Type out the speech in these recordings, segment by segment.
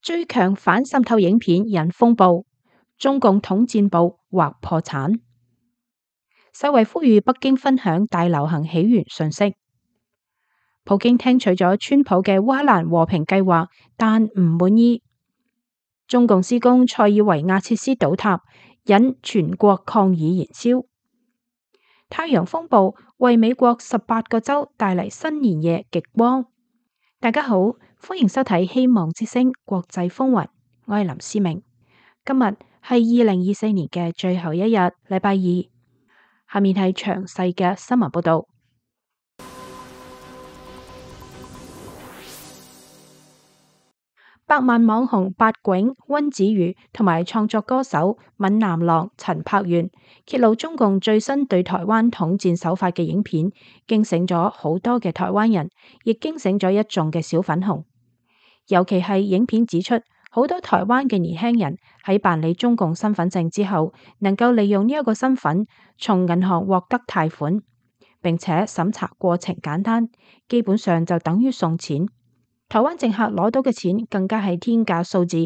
最強反滲透影片引風暴，中共統戰部或破產。世衛呼籲北京分享大流行起源信息。普京聽取咗川普嘅烏克蘭和平計劃，但唔滿意。中共施工塞爾維亞設施倒塌，引全國抗議燃燒。太陽風暴為美國18個州帶嚟新年夜極光。大家好，歡迎收睇希望之聲國際風雲，我係林思明。今日係2024年嘅最後一日，禮拜二。下面係詳細嘅新聞報道。百萬網紅八囧、溫子瑜同埋創作歌手閩南郎陳柏源揭露中共最新對台灣統戰手法嘅影片，驚醒咗好多嘅台灣人，亦驚醒咗一眾嘅小粉紅。尤其係影片指出，好多台灣嘅年輕人喺辦理中共身份證之後，能夠利用呢一個身份從銀行獲得貸款，並且審查過程簡單，基本上就等於送錢。台灣政客攞到嘅錢更加係天價數字，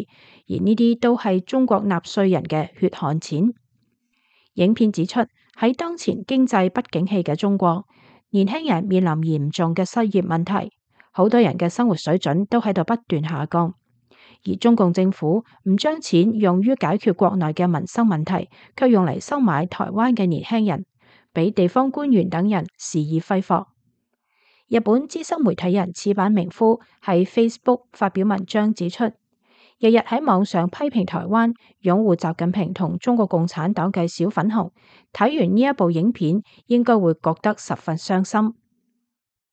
而呢啲都係中國納稅人嘅血汗錢。影片指出，喺當前經濟不景氣嘅中國，年輕人面臨嚴重嘅失業問題，好多人嘅生活水準都喺度不斷下降。而中共政府唔將錢用於解決國內嘅民生問題，卻用嚟收買台灣嘅年輕人，俾地方官員等人肆意揮霍。日本資深媒體人矢板明夫喺 Facebook 發表文章指出，日日喺網上批評台灣、擁護習近平同中國共產黨嘅小粉紅，睇完呢一部影片，應該會覺得十分傷心。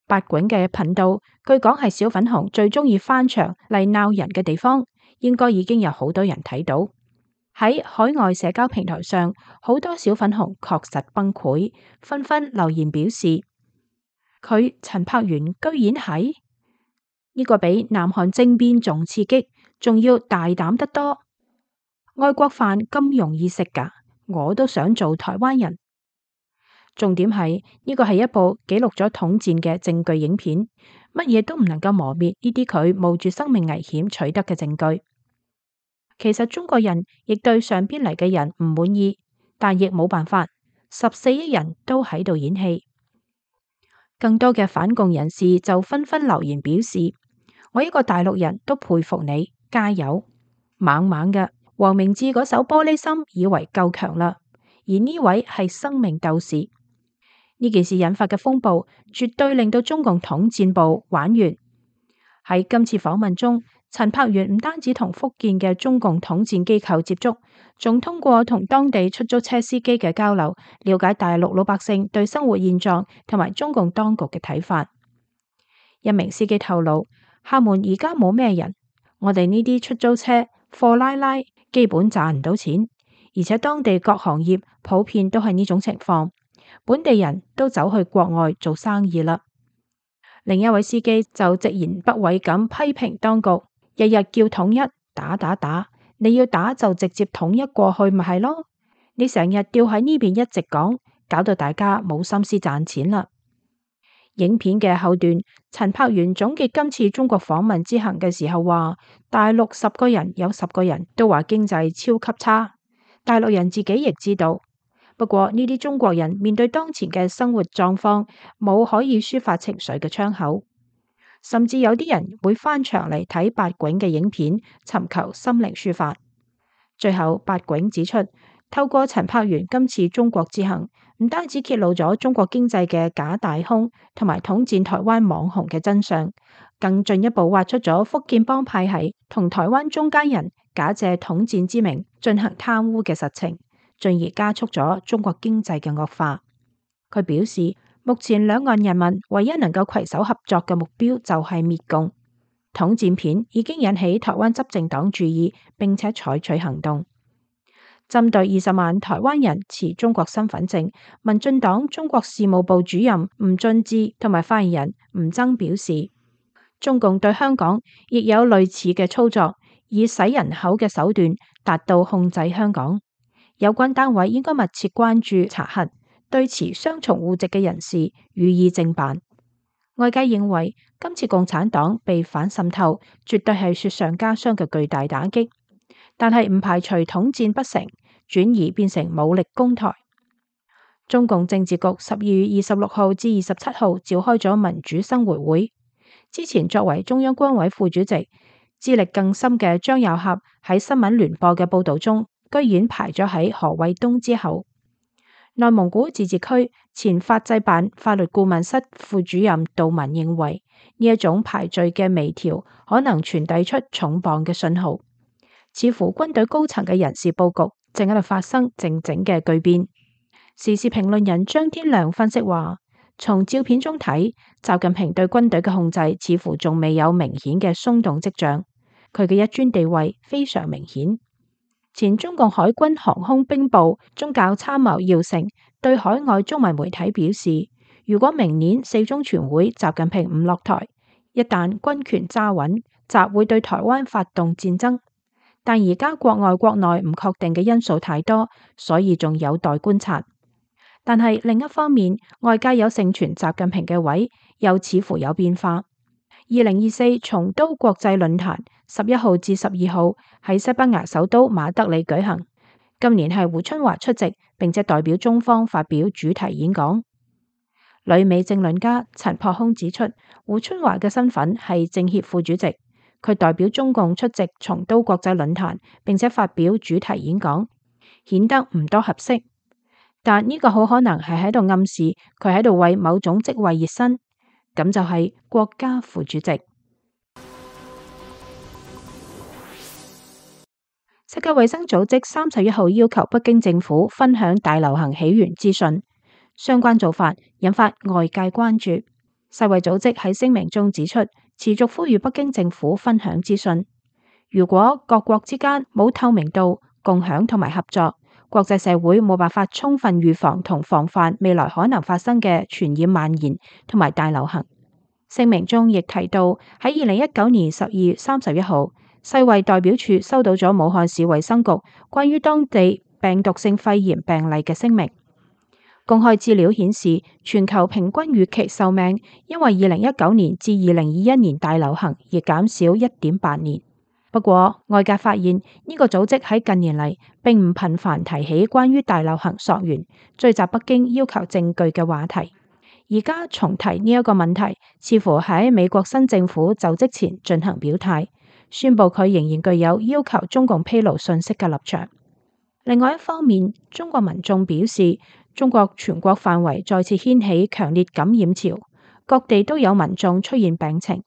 八囧嘅頻道，據講係小粉紅最中意翻牆嚟鬧人嘅地方，應該已經有好多人睇到。喺海外社交平台上，好多小粉紅確實崩潰，紛紛留言表示，佢陳柏源居然係呢個比南韓政變仲刺激，仲要大膽得多。外國飯咁容易食㗎，我都想做台灣人。重點係呢個係一部記錄咗統戰嘅證據影片，乜嘢都唔能夠磨滅呢啲佢冒住生命危險取得嘅證據。其實中國人亦對上邊嚟嘅人唔滿意，但亦冇辦法，14億人都喺度演戲。更多嘅反共人士就紛紛留言表示，我一個大陸人都佩服你，加油！猛猛嘅黃明志嗰首玻璃心以為夠強啦，而呢位係生命鬥士。呢件事引發嘅風暴絕對令到中共統戰部玩完。喺今次訪問中，陳柏源唔單止同福建嘅中共統戰機構接觸，仲通過同當地出租車司機嘅交流，了解大陸老百姓對生活現狀同埋中共當局嘅睇法。一名司機透露，廈門而家冇咩人，我哋呢啲出租車貨拉基本賺唔到錢，而且當地各行業普遍都係呢種情況，本地人都走去國外做生意啦。另一位司機就直言不諱咁批評當局，日日叫統一，打，你要打就直接統一過去咪係咯？你成日吊喺呢邊一直講，搞到大家冇心思賺錢啦。影片嘅後段，陳柏源總結今次中國訪問之行嘅時候話，大陸10個人有10個人都話經濟超級差，大陸人自己亦知道。不過呢啲中國人面對當前嘅生活狀況，冇可以抒發情緒嘅窗口，甚至有啲人會翻牆嚟睇八囧嘅影片，尋求心靈抒發。最後八囧指出，透過陳柏源今次中國之行，唔單止揭露咗中國經濟嘅假大空，同埋統戰台灣網紅嘅真相，更進一步挖出咗福建幫派系同台灣中間人假借統戰之名進行貪污嘅實情，進而加速咗中國經濟嘅惡化。佢表示，目前兩岸人民唯一能夠携手合作嘅目標就係滅共。統戰片已經引起台灣執政黨注意，並且採取行動。針對20萬台灣人持中國身份證，民進黨中國事務部主任吳俊志同埋發言人吳崢表示，中共對香港亦有類似嘅操作，以洗人口嘅手段達到控制香港。有關單位應該密切關注查核，對持雙重戶籍嘅人士予以正辦。外界認為今次共產黨被反滲透，絕對係雪上加霜嘅巨大打擊，但係唔排除統戰不成，轉移變成武力攻台。中共政治局12月26號至27號召開咗民主生活會，之前作為中央軍委副主席、資歷更深嘅張又俠喺新聞聯播嘅報道中，居然排咗喺何衛東之後。內蒙古自治區前法制辦法律顧問室副主任杜文認為，呢一種排序嘅微調可能傳遞出重磅嘅信號，似乎軍隊高層嘅人事佈局正喺度發生靜靜嘅巨變。時事評論人張天亮分析話，從照片中睇，習近平對軍隊嘅控制似乎仲未有明顯嘅鬆動跡象，佢嘅一尊地位非常明顯。前中共海軍航空兵部宗教參謀姚成對海外中文媒體表示，如果明年4中全會習近平唔落台，一旦軍權揸穩，習會對台灣發動戰爭。但而家國外國內唔確定嘅因素太多，所以仲有待觀察。但係另一方面，外界有盛傳習近平嘅位又似乎有變化。2024松都國際論壇11號至12號喺西班牙首都馬德里舉行，今年係胡春華出席，並且代表中方發表主題演講。旅美政論家陳樸空指出，胡春華嘅身份係政協副主席，佢代表中共出席松都國際論壇，並且發表主題演講，顯得唔多合適。但呢個好可能係喺度暗示佢喺度為某種職位熱身。咁就係國家副主席。世界衛生組織31號要求北京政府分享大流行起源資訊，相關做法引發外界關注。世衛組織喺聲明中指出，持續呼籲北京政府分享資訊。如果各國之間冇透明度、共享同埋合作，國際社會冇辦法充分預防同防範未來可能發生嘅傳染蔓延同埋大流行。聲明中亦提到，喺2019年12月31號，世衛代表處收到咗武漢市衛生局關於當地病毒性肺炎病例嘅聲明。公開資料顯示，全球平均預期壽命因為2019年至2021年大流行而減少1.8年。不過，外界發現呢個組織喺近年嚟並唔頻繁提起關於大流行溯源、追襲北京要求證據嘅話題。而家重提呢一個問題，似乎喺美國新政府就職前進行表態，宣布佢仍然具有要求中共披露信息嘅立場。另外一方面，中國民眾表示，中國全國範圍再次掀起強烈感染潮，各地都有民眾出現病情。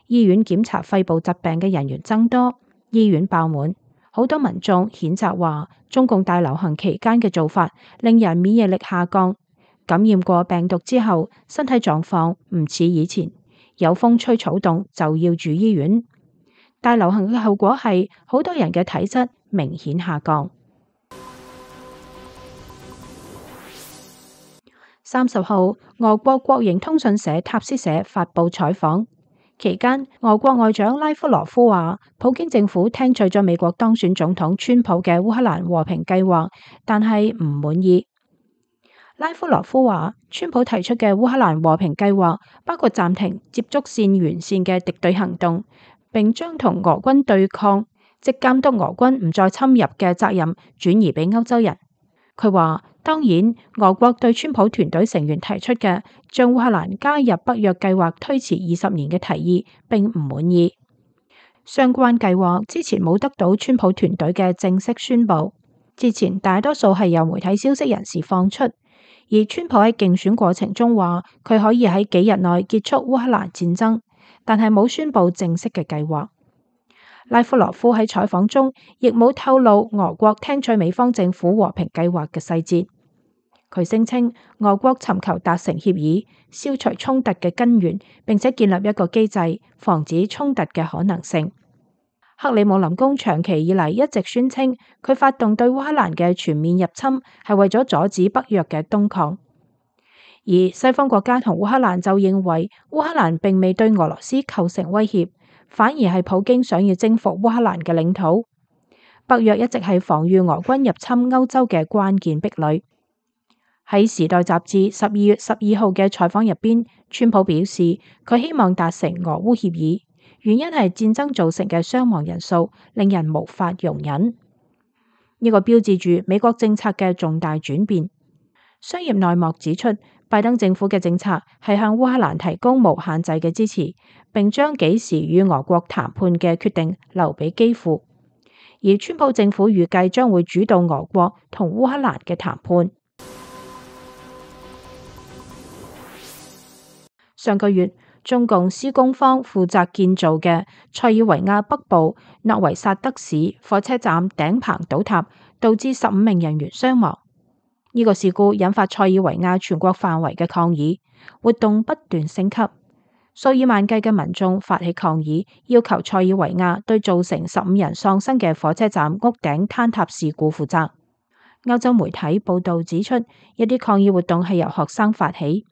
醫院檢查肺部疾病嘅人員增多，醫院爆滿，好多民眾譴責話，中共大流行期間嘅做法令人免疫力下降，感染過病毒之後，身體狀況唔似以前，有風吹草動就要住醫院。大流行嘅後果係好多人嘅體質明顯下降。30號，俄國國營通訊社塔斯社發布採訪。期間，俄國外長拉夫羅夫話，普京政府聽取咗美國當選總統川普嘅烏克蘭和平計劃，但係唔滿意。拉夫羅夫話，川普提出嘅烏克蘭和平計劃包括暫停接觸線沿線嘅敵對行動，並將同俄軍對抗，即監督俄軍唔再侵入嘅責任轉移俾歐洲人。佢話，當然，俄國對川普團隊成員提出嘅將烏克蘭加入北約計劃推遲20年嘅提議並唔滿意。相關計劃之前冇得到川普團隊嘅正式宣佈，之前大多數係由媒體消息人士放出。而川普喺競選過程中話，佢可以喺幾日內結束烏克蘭戰爭，但係冇宣佈正式嘅計劃。拉夫羅夫喺採訪中亦冇透露俄國聽取美方政府和平計劃嘅細節。佢聲稱俄國尋求達成協議，消除衝突嘅根源，並且建立一個機制，防止衝突嘅可能性。克里姆林宮長期以嚟一直宣稱，佢發動對烏克蘭嘅全面入侵係為咗阻止北約嘅東擴。而西方國家同烏克蘭就認為，烏克蘭並未對俄羅斯構成威脅，反而係普京想要征服烏克蘭嘅領土。北約一直係防禦俄軍入侵歐洲嘅關鍵壁壘。喺《時代》雜誌12月12號嘅採訪入邊，川普表示佢希望達成俄烏協議，原因係戰爭造成嘅傷亡人數令人無法容忍。呢個標誌住美國政策嘅重大轉變。商業內幕指出，拜登政府嘅政策係向烏克蘭提供無限制嘅支持，並將幾時與俄國談判嘅決定留俾基輔。而川普政府預計將會主導俄國同烏克蘭嘅談判。上個月，中共施工方負責建造嘅塞爾維亞北部諾維薩德市火車站頂棚倒塌，導致15名人員傷亡。呢個事故引發塞爾維亞全國範圍嘅抗議，活動不斷升級。數以萬計嘅民眾發起抗議，要求塞爾維亞對造成15人喪生嘅火車站屋頂坍塌事故負責。歐洲媒體報導指出，一啲抗議活動係由學生發起。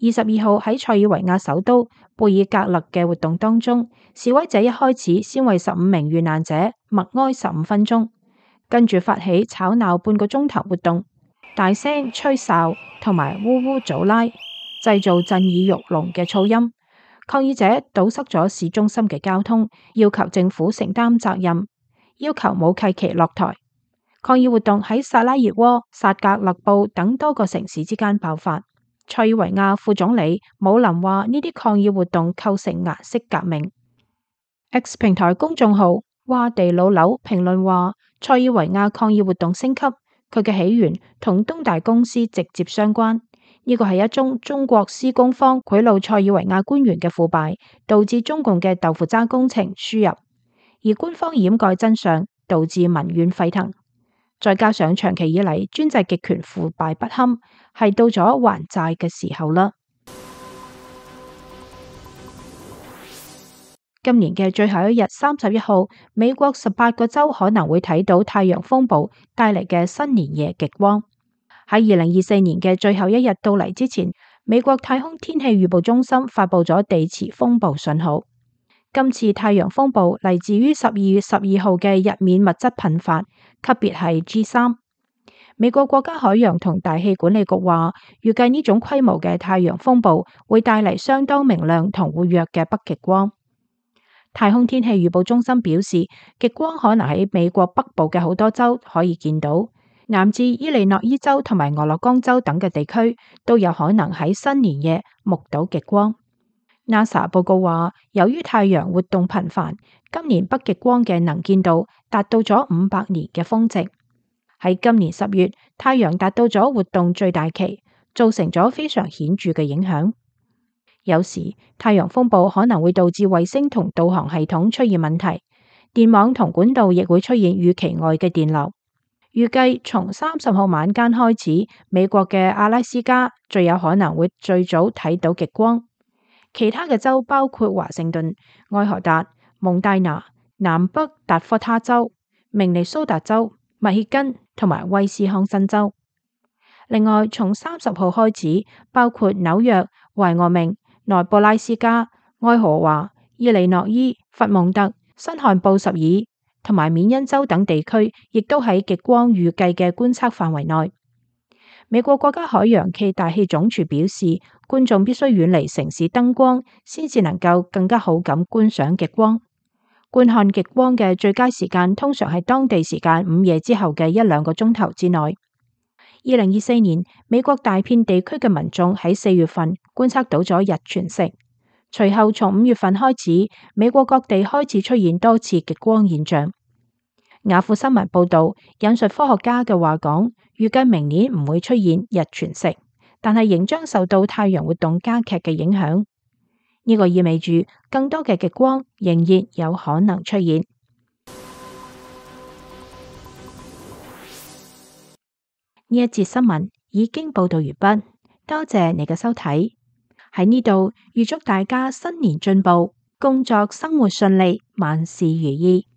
22號喺塞爾維亞首都貝爾格勒嘅活動當中，示威者一開始先為15名遇難者默哀15分鐘，跟住發起吵鬧半個鐘頭活動，大聲吹哨同埋嗚嗚祖拉，製造震耳欲聾嘅噪音。抗議者堵塞咗市中心嘅交通，要求政府承擔責任，要求武契奇落台。抗議活動喺薩拉熱窩、薩格勒布等多個城市之間爆發。塞爾維亞副總理姆林話：呢啲抗議活動構成顏色革命。X 平台公眾號哇地老柳評論話：塞爾維亞抗議活動升級，佢嘅起源同東大公司直接相關。呢個係一宗中國施工方賄賂塞爾維亞官員嘅腐敗，導致中共嘅豆腐渣工程輸入，而官方掩蓋真相，導致民怨沸騰。再加上長期以嚟專制極權腐敗不堪，係到咗還債嘅時候啦。今年嘅最後一日31號，美國18個州可能會睇到太陽風暴帶嚟嘅新年夜極光。喺2024年嘅最後一日到嚟之前，美國太空天氣預報中心發佈咗地磁風暴信號。今次太陽風暴嚟自於12月12號嘅日冕物質噴發，級別係 G3。美國國家海洋同大氣管理局話，預計呢種規模嘅太陽風暴會帶嚟相當明亮同活躍嘅北極光。太空天氣預報中心表示，極光可能喺美國北部嘅好多州可以見到，南至伊利諾伊州同埋俄勒岡州等嘅地區都有可能喺新年夜目睹極光。NASA 報告話，由於太陽活動頻繁，今年北極光嘅能見度達到咗500年嘅峰值。喺今年10月，太陽達到咗活動最大期，造成咗非常顯著嘅影響。有時太陽風暴可能會導致衛星同導航系統出現問題，電網同管道亦會出現預期外嘅電流。預計從30號晚間開始，美國嘅阿拉斯加最有可能會最早睇到極光。其他嘅州包括華盛頓、愛荷達、蒙大拿、南北達科他州、明尼蘇達州、密歇根同埋威斯康辛州。另外，從30號開始，包括紐約、懷俄明、內布拉斯加、愛荷華、伊利諾伊、佛蒙特、新罕布什爾同埋緬因州等地區，亦都喺極光預計嘅觀測範圍內。美國國家海洋暨大氣總署表示，觀眾必須遠離城市燈光，先至能夠更加好咁觀賞極光。觀看極光嘅最佳時間通常係當地時間午夜之後嘅1-2個鐘頭之內。2024年，美國大片地區嘅民眾喺4月份觀測到咗日全食，隨後從5月份開始，美國各地開始出現多次極光現象。雅虎新聞報道，引述科學家嘅話講，預計明年唔會出現日全食，但係仍將受到太陽活動加劇嘅影響。呢個意味住更多嘅極光仍然有可能出現。呢一節新聞已經報道完畢，多謝你嘅收睇。喺呢度預祝大家新年進步，工作生活順利，萬事如意。